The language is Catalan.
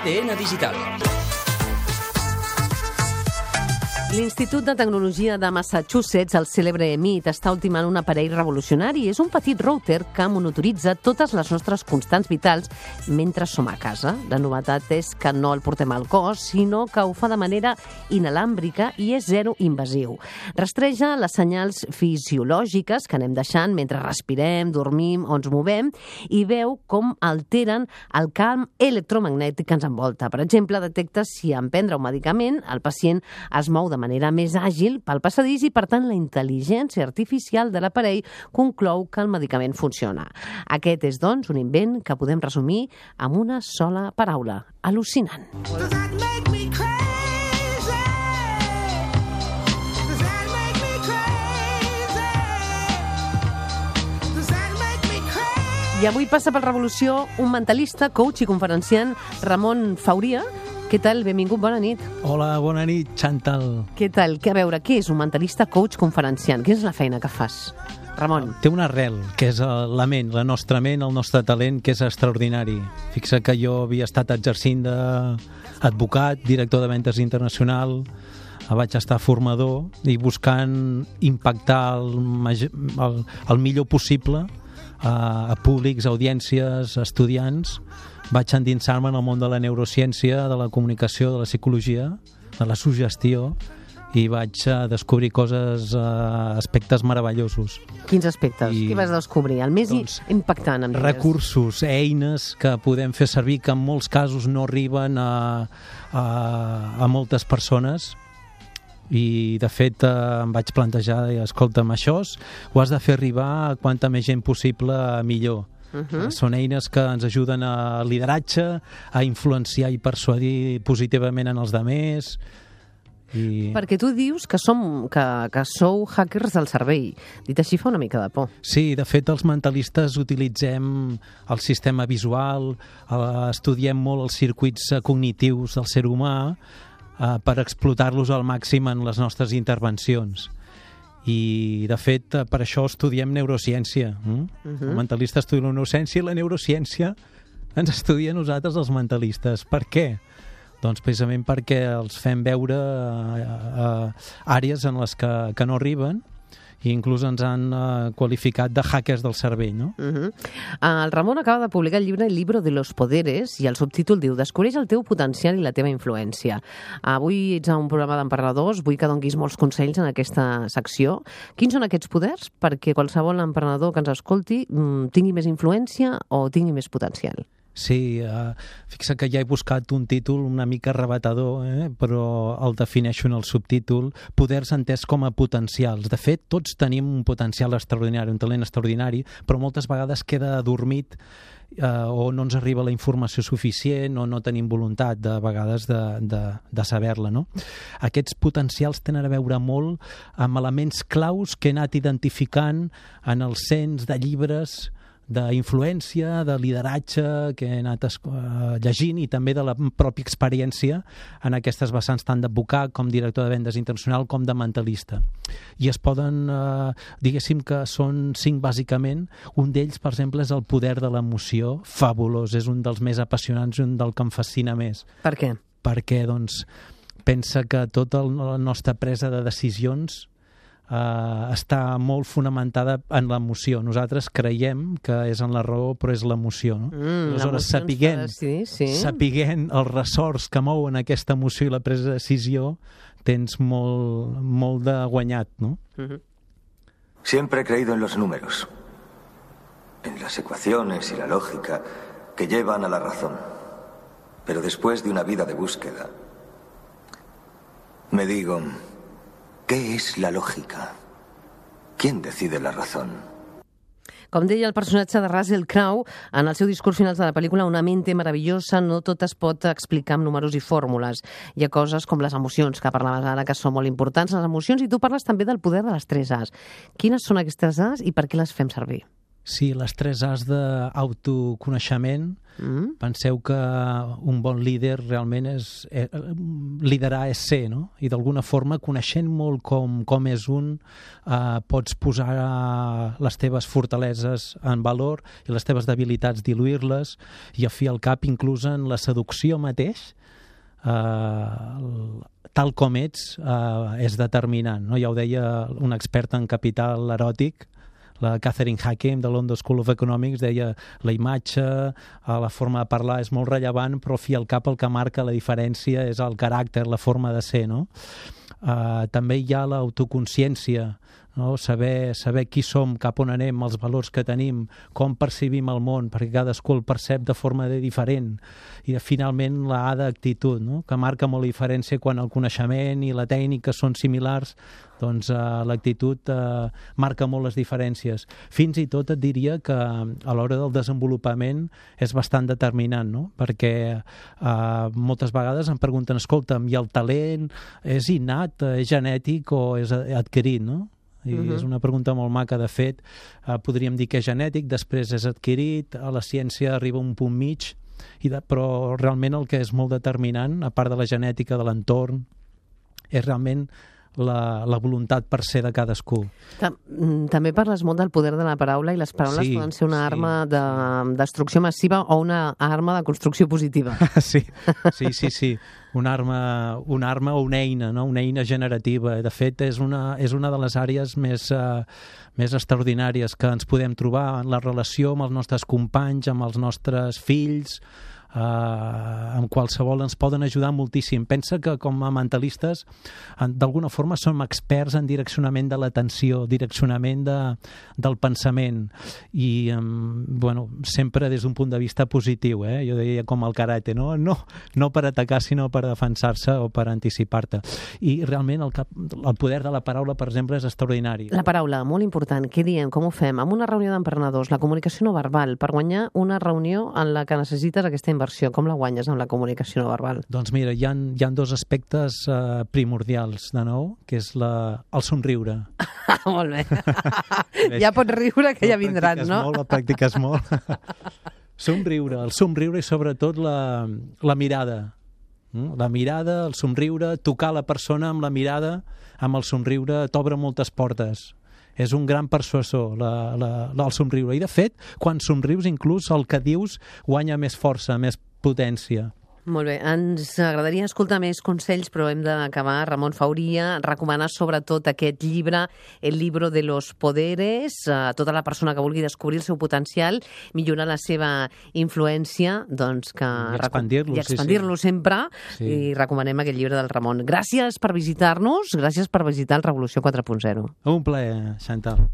ADN Digital. L'Institut de Tecnologia de Massachusetts, el cèlebre MIT, està ultimant un aparell revolucionari. És un petit router que monitoritza totes les nostres constants vitals mentre som a casa. La novetat és que no el portem al cos, sinó que ho fa de manera inalàmbrica i és zero invasiu. Rastreja les senyals fisiològiques que anem deixant mentre respirem, dormim o ens movem i veu com alteren el camp electromagnètic que ens envolta. Per exemple, detecta si en prendre un medicament el pacient es mou de manera més àgil pel passadís i, per tant, la intel·ligència artificial de l'aparell conclou que el medicament funciona. Aquest és, doncs, un invent que podem resumir amb una sola paraula: al·lucinant. I avui passa per Revolució un mentalista, coach i conferenciant, Ramon Fauria. Què tal? Benvingut, bona nit. Hola, bona nit, Chantal. Què tal? A veure, què és un mentalista, coach, conferenciant? Quina és la feina que fas, Ramon? Té una arrel, que és la ment, la nostra ment, el nostre talent, que és extraordinari. Fixa que jo havia estat exercint d'advocat, director de ventes internacional, vaig estar formador i buscant impactar el millor possible a públics, audiències, estudiants. Vaig endinsar-me en el món de la neurociència, de la comunicació, de la psicologia, de la suggestió, i vaig descobrir coses, aspectes meravellosos. Quins aspectes? Què vas descobrir? El més impactant, em digues. Recursos, eines que podem fer servir, que en molts casos no arriben a moltes persones. I de fet em vaig plantejar, escolta'm, això ho has de fer arribar a quanta més gent possible, millor. Són eines que ens ajuden a lideratge, a influenciar i persuadir positivament en els demés. Perquè tu dius que sou hackers del cervell. Dit així fa una mica de por. Sí, de fet els mentalistes utilitzem el sistema visual, estudiem molt els circuits cognitius del ser humà per explotar-los al màxim en les nostres intervencions. I, de fet, per això estudiem neurociència. El mentalista estudia la neurociència i la neurociència ens estudia a nosaltres, els mentalistes. Per què? Doncs precisament perquè els fem veure àrees en les que no arriben, i inclús ens han qualificat de hackers del cervell, no? El Ramon acaba de publicar el llibre El libro de los poderes i el subtítol diu: Descobreix el teu potencial i la teva influència. Avui ets a un programa d'emprenedors, vull que donis molts consells en aquesta secció. Quins són aquests poders perquè qualsevol emprenedor que ens escolti tingui més influència o tingui més potencial? Sí, fixa que ja he buscat un títol una mica arrebatador, però el defineixo en el subtítol: poders entès com a potencials. De fet, tots tenim un potencial extraordinari, un talent extraordinari, però moltes vegades queda adormit o no ens arriba la informació suficient o no tenim voluntat, de vegades, de saber-la, no? Aquests potencials tenen a veure molt amb elements claus que he anat identificant en el cens de llibres d'influència, de lideratge que he anat llegint, i també de la pròpia experiència en aquestes vessants tant d'advocat com director de vendes internacional com de mentalista. I es poden, diguéssim que són 5 bàsicament. Un d'ells, per exemple, és el poder de l'emoció. Fabulós, és un dels més apassionants i un del que em fascina més. Per què? Perquè, doncs, pensa que tota la nostra presa de decisions està molt fonamentada en l'emoció. Nosaltres creiem que és en la raó, però és l'emoció, no? Aleshores, sapiguent els ressorts que mouen aquesta emoció i la presa de decisió, tens molt de guanyat, no? Siempre he creído en los números, en las ecuaciones y la lógica que llevan a la razón. Pero después de una vida de búsqueda, me digo: ¿qué es la lógica? ¿Quién decide la razón? Com deia el personatge de Russell Crowe en el seu discurs final de la pel·lícula, una mente meravellosa no tot es pot explicar amb números i fórmules. Hi ha coses com les emocions, que parlaves ara, que són molt importants, les emocions, i tu parles també del poder de les 3 As. Quines són aquestes As i per què les fem servir? Sí, les 3 A's d'autoconeixement. Penseu que un bon líder realment liderar és ser, no? I d'alguna forma, coneixent molt com és un, pots posar les teves fortaleses en valor i les teves debilitats diluir-les, i a fi al cap, inclús en la seducció mateix, tal com ets és determinant, no? Ja ho deia una experta en capital eròtic, la Catherine Hakem de London School of Economics, deia la imatge, la forma de parlar és molt rellevant, però al fi al cap el que marca la diferència és el caràcter, la forma de ser, no? També hi ha l'autoconsciència, no? Saber qui som, cap on anem, els valors que tenim, com percebim el món, perquè cadascú el percep de forma diferent. I finalment la A d'actitud, no? Que marca molt la diferència quan el coneixement i la tècnica són similars, doncs l'actitud marca molt les diferències. Fins i tot et diria que a l'hora del desenvolupament és bastant determinant, no? Perquè moltes vegades em pregunten, escolta'm, i el talent és innat, és genètic o és adquirit, no? I és una pregunta molt maca. De fet, podríem dir que és genètic, després és adquirit, a la ciència arriba a un punt mig, però realment el que és molt determinant, a part de la genètica, de l'entorn, és realment la voluntat per ser de cadascú. També parles molt del poder de la paraula, i les paraules poden ser una arma de destrucció massiva o una arma de construcció positiva. Sí. Una arma o una eina, no? Una eina generativa. De fet, és una de les àrees més extraordinàries que ens podem trobar en la relació amb els nostres companys, amb els nostres fills, amb qualsevol ens poden ajudar moltíssim. Pensa que com a mentalistes d'alguna forma som experts en direccionament de l'atenció, direccionament del pensament, i sempre des d'un punt de vista positiu, jo deia com el karate, no per atacar sinó per defensar-se o per anticipar-te. I realment el poder de la paraula, per exemple, és extraordinari. La paraula, molt important. Què diem? Com ho fem? Amb una reunió d'emprenedors, la comunicació no verbal, per guanyar una reunió en la que necessites aquesta inversió, com la guanyes amb la comunicació no verbal? Doncs mira, hi ha 2 aspectes primordials, de nou, que és el somriure. Molt bé. Ja pots riure, que ja vindran, no? La practiques molt. El somriure i sobretot la mirada. La mirada, el somriure, tocar la persona amb la mirada, amb el somriure, t'obre moltes portes. És un gran persuasor, el somriure. I, de fet, quan somrius, inclús el que dius guanya més força, més potència. Molt bé, ens agradaria escoltar més consells, però hem d'acabar. Ramon Fauria, recomanar sobretot aquest llibre, El libro de los poderes, a tota la persona que vulgui descobrir el seu potencial, millorar la seva influència, doncs que... I expandir-lo, sempre, i recomanem aquest llibre del Ramon. Gràcies per visitar-nos, gràcies per visitar el Revolució 4.0. Un plaer, Chantal.